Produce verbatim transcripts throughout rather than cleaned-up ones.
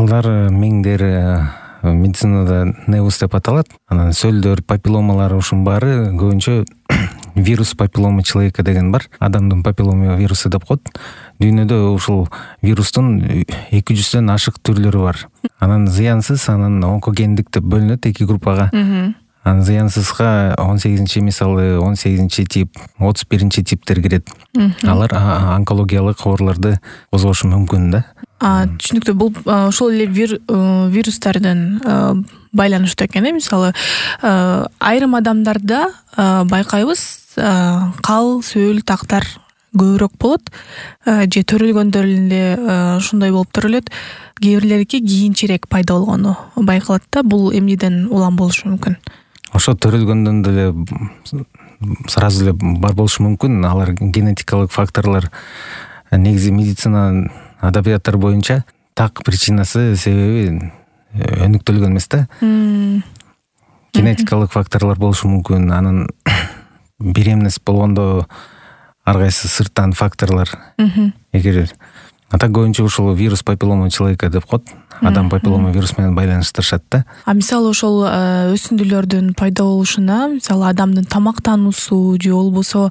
Алар миңдер медицинада невус деп аталат. Анан сөлдөр, папилломалар ушунун баары көбүнчө вирус папиллома человека деген бар. Адамдын папиллома вирусу деп коет. Дүйнөдө ушул вирустун эки жүздөн ашык түрлөрү бар. Анан зыянсыз, анан онкогендик деп бөлүнөт эки группага. Анан зыянсызга он сегизинчи мисалы он сегизинчи тип, отуз биринчи типтер кирет. Алар онкологиялык ооруларды козгошу мүмкүн да. Түшүнүктүү. Бул ошол эле вирустардын байланыштуу экен э. Мисалы, айрым адамдарда байкайбыз, кал, сөл, тактар көбүрөөк болот, же төрөлгөндөр эле ушундай болуп төрөлөт. Кээ бирлериники кийинчерээк пайда болгону байкалат да. Бул эмнеден улам болушу мүмкүн? Ошо төрөлгөндөн деле сразу эле бар болушу мүмкүн. Алар генетикалык факторлор. Негизи медицина адабияттар боюнча так причинасы, себеби өнүктүлгөн эмес да. Генетикалык факторлор болушу мүмкүн. Анан беременность болгондо ар кайсы сырттан факторлор. Эгер атак көбүнчө ушул вирус папиллома человека деп коет. Адам папиллома вирус менен байланыштырышат да. А мисалы ошол өсүндүлөрдүн пайда болушуна, мисалы адамдын тамактануусу же болбосо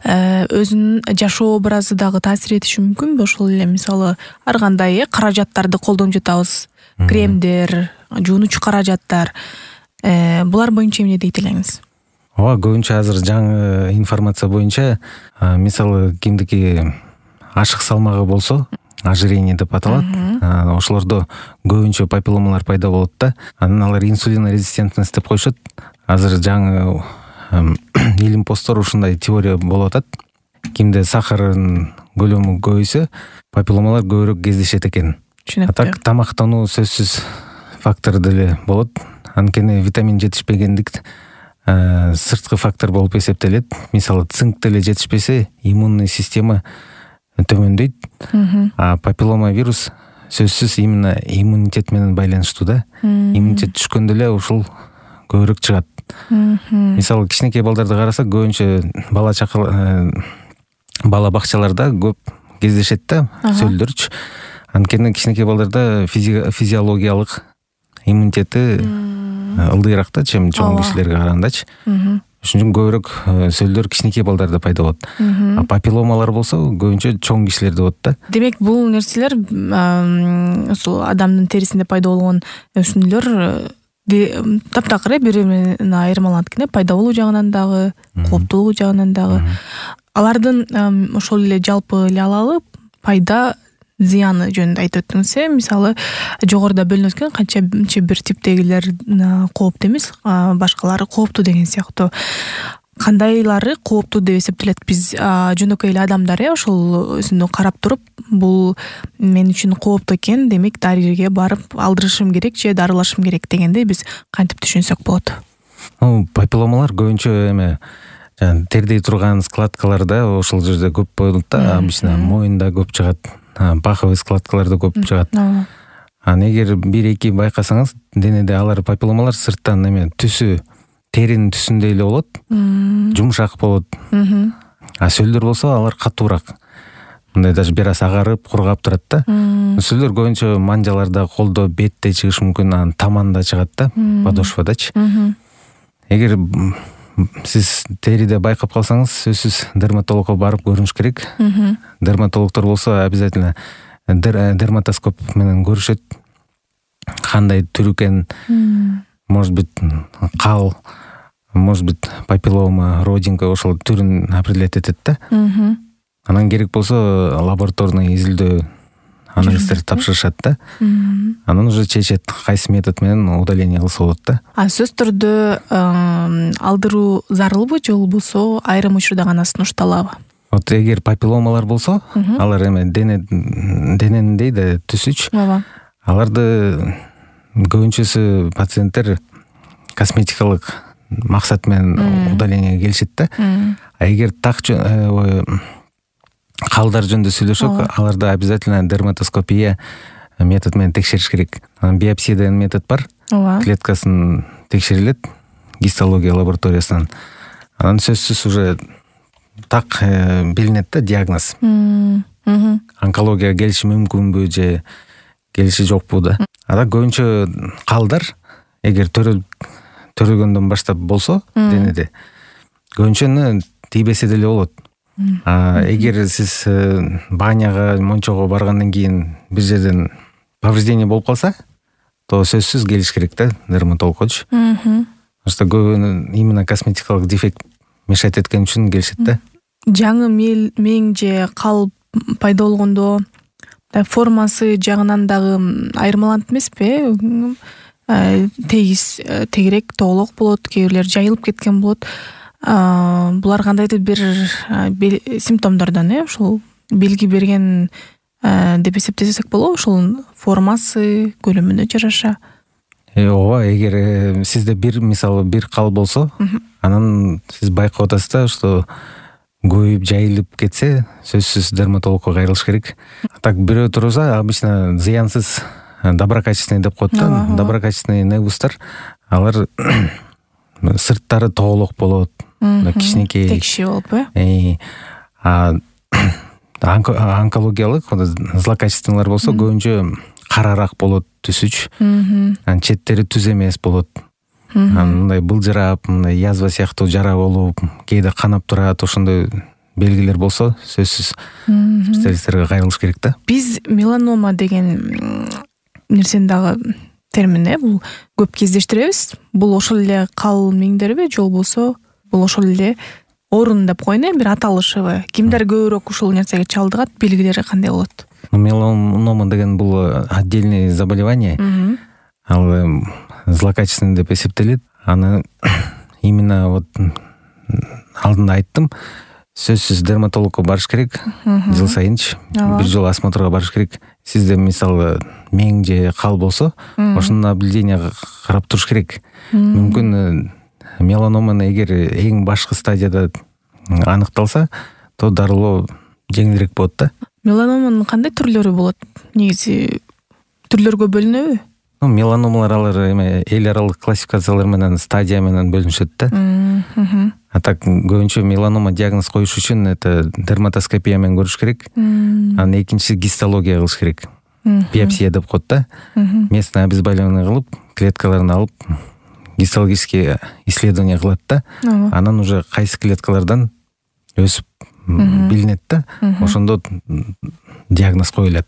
өзүнүн жашоо образы дагы таасир этиши мүмкүнбү? Ошол эле мисалы ар кандай э каражаттарды колдонуп жатабыз. Кремдер, жуунучу каражаттар. Булар боюнча эмне дейт элеңиз? Ооба, көбүнчө азыр жаңы информация боюнча, мисалы кимдики ашык салмагы болсо, ожирение деп аталат. Ошолордо көбүнчө папилломалар пайда болот да. Анан алар инсулин резистентность деп коюшат. Азыр жаңы илим посттор ушундай теория болуп атат. Кимде сахардын көлөмү көбөйсө, папилломалар көбүрөөк кездешет экен. Атак тамактануу сөзсүз фактор деле болот. Анткени витамин жетишпегендик сырткы фактор болуп эсептелет. Мисалы цинк деле жетишпесе, иммунный система төмөндөйт. А папиллома вирус сөзсүз именно иммунитет менен байланыштуу да. Иммунитет түшкөндө эле ушул көбүрөөк чыгат. Мисалы кичинекей балдарды карасак, көбүнчө бала чакы бала бакчаларда көп кездешет да, сөлдөрчү. Анткени кичинекей балдарда физиологиялык иммунитети ылдыйраак да, чем чоң кишилерге карагандачы. Ошон үчүн көбүрөөк сөлдөр кичинекей балдарда пайда болот. А папилломалар болсо көбүнчө чоң кишилерде болот да. Демек, бул нерселер ошол адамдын терисинде пайда болгон өсүндүлөр таптакыр бири-биринен айырмаланат экен, пайда болуу жагынан дагы, кооптуулугу жагынан дагы. Алардын ошол эле жалпы эле алалы пайда зыяны жөнүндө айтып өттүңүз э. Мисалы, жогоруда бөлүнөт экен, канча бир типтегилер кооптуу эмес, башкалары кооптуу деген сыяктуу. Кандайлары кооптуу деп эсептелет? Биз жөнөкөй эле адамдар э ошол өзүндү карап туруп, бул мен үчүн кооптуу экен, демек дарыгерге барып алдырышым керек же дарылашым керек дегенде биз кантип түшүнсөк болот? Папилломалар көбүнчө эме тердей турган складкаларда ошол жерде көп болот да. Обычно моюнда көп чыгат. Паховый складкаларда көп чыгат. Анан эгер бир-эки байкасаңыз, денеде алар папилломалар сырттан эме түсү, теринин түсүндөй эле болот. Жумшак болот. А сөлдөр болсо алар катуураак. Мындай даже бир аз агарып, кургап турат да. Сөлдөр көбүнчө манжаларда, колдо, бетте чыгышы мүмкүн, анан таманда чыгат да, подошвадачы. Эгер сиз териде байкап калсаңыз, сөзсүз дерматологко барып көрүнүш керек. Дерматологдор болсо обязательно дерматоскоп менен көрүшөт. Кандай түр экен, может быть, кал, может быть, папиллома, родинка, ошол түрүн определять этет да. Анан керек болсо лабораторный изилдөө анализдерди тапшырышат да. Анан уже чечет кайсы метод менен удаление кылса болот да. А сөз түрдө алдыруу зарылбы же болбосо айрым учурда гана сунушталабы? Вот эгер папилломалар болсо, алар эме дене дененин дейди түсүчү. Аларды көбүнчөсү пациенттер косметикалык максат менен удалениеге келишет да. А эгер так калдар жөнүндө сүйлөшөк, аларда обязательно дерматоскопия метод менен текшериш керек. Анан биопсия деген метод бар. Клеткасын текшерилет гистология лабораториясынан. Анан сөзсүз уже так билинет да диагноз. Онкология келиши мүмкүнбү же келиши жокпу да. Ада көбүнчө калдар эгер төрөлгөндөн баштап болсо денеде көбүнчө тийбесе деле болот. А эгер сиз баняга, мончого баргандан кийин бир жерден повреждение болуп калса, то сөзсүз келиш керек да дерматологкочу. Потому что көбү именно косметикалык дефект мешать эткен үчүн келишет да. Жаңы мең же кал пайда болгондо формасы жагынан дагы айырмаланат эмеспи? Тегиз, тегерек, тоголок болот, кээ бирлер жайылып кеткен болот. Булар кандайдыр бир симптомдордон, э, ушул белги берген деп эсептесек болобу, ушул формасы, көлөмүнө жараша. Ооба, эгер сизде бир, мисалы, бир кал болсо, анан сиз байкап атасыз да, что көйүп, жайылып кетсе, сөзсүз дерматологко кайрылыш керек. Так бирөө турса, обычно зыянсыз доброкачественный деп коет да. Доброкачественный невустар, алар сырттары тоголок болот, кичинекей, текши болуп, э. А онкологиялык, злокачественныйлар болсо көбүнчө карараак болот түсүч. Анан четтери түз эмес болот. Мындай былжырап, мындай язва сыяктуу жара болуп, кээде канап турат, ошондой белгилер болсо, сөзсүз специалисттерге кайрылыш керек да. Биз меланома деген нерсени дагы термин, э, бул көп кездештиребиз. Бул ошол эле кал меңдерби же болбосо бул ошол эле орун деп коеюн, бир аталышыбы? Кимдер көбүрөөк ушул нерсеге чалдыгат, белгилери кандай болот? Меланома деген бул отдельный заболевание. Ал злокачественный деп эсептелет. Аны именно вот алдында айттым, сөзсүз дерматологко барыш керек. Жыл сайынчы бир жолу осмотрга барыш керек. Сизде мисалы мең же кал болсо, ошону наблюдение карап туруш керек. Мүмкүн меланоманы эгер эң башкы стадияда аныкталса, то дарылоо жеңилирээк болот да. Меланоманын кандай түрлөрү болот? Негизи түрлөргө бөлүнөбү? Ну, меланомалар алар эме эл аралык классификациялар менен, стадия менен бөлүнүшөт да. А так көбүнчө меланома диагноз коюш үчүн это дерматоскопия менен көрүш керек. Анан экинчиси гистология кылыш керек. Биопсия деп коет да. Местное обезболивание кылып, клеткаларын алып, гистологический исследование кылат да. Анан уже кайсы клеткалардан өсүп билинет да. Ошондо диагноз коюлат.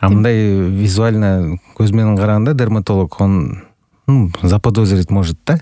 А мындай визуально көз менен караганда дерматолог он заподозрить может да.